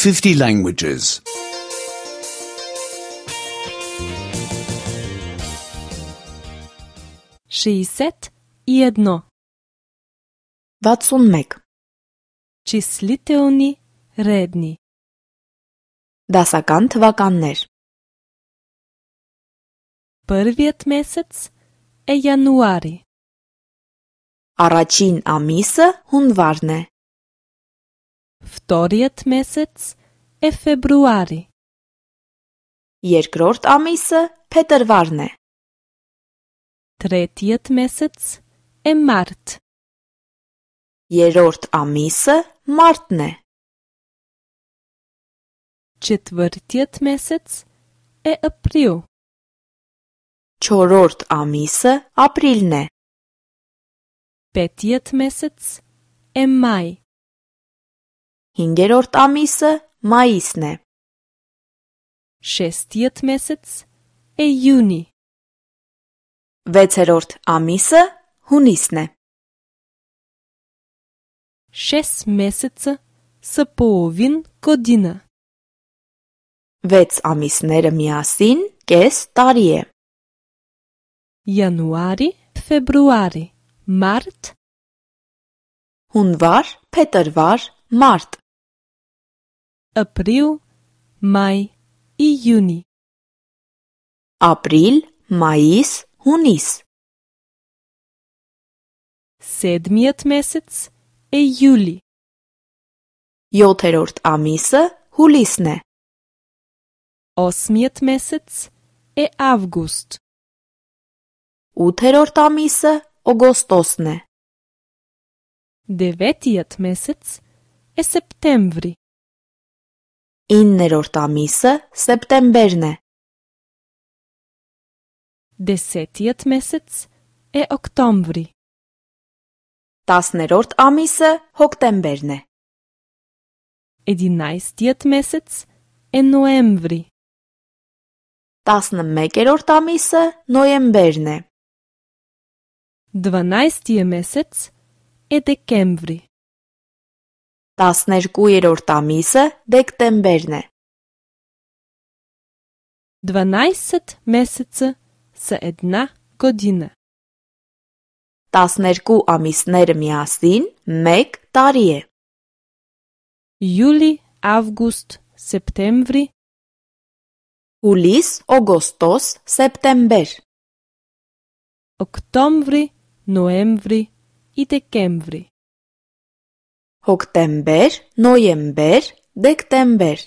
50 languages. 61. 61. Числителни редни. Դասական թվականներ. Първият месец е януари. Առաջին ամիսը հունվարն է. Вторият месец е февруари. Երկրորդ ամիսը փետրվարն է. Третият месец е март. Երրորդ ամիսը մարտն է. Четвъртият месец е април. Չորրորդ ամիսը ապրիլն է. Петият месец е май. Հինգերորդ ամիսը մայիսն է. Шестият месец е юни. Վեցերորդ ամիսը հունիսն է. 6 месеца са половин година. 6 ամիսները միասին կես տարի է. Януари, февруари, март, Հունվար, փետրվար, մարտ, април, май, июни. ապրիլ, մայիս, հունիս. Седмият месец е юли. 7-րդ ամիսը հուլիսն է. Осмият месец е август. 8-րդ ամիսը օգոստոսն է. Деветият месец е септември. 9-րդ ամիսը սեպտեմբերն է. Десетият месец е октомври. 10-րդ ամիսը հոկտեմբերն է. Единайстият месец е ноември. 11-րդ ամիսը նոյեմբերն է. Дванайстия месец е декември. 12-րդ ամիսը դեկտեմբերն է. 12 месеца са една година. 12 ամիսները միասին 1 տարի է. Юли, август, септември, Հուլիս, օգոստոս, սեպտեմբեր. октомври, ноември и декември. Հոկտեմբեր, նոյեմբեր, դեկտեմբեր.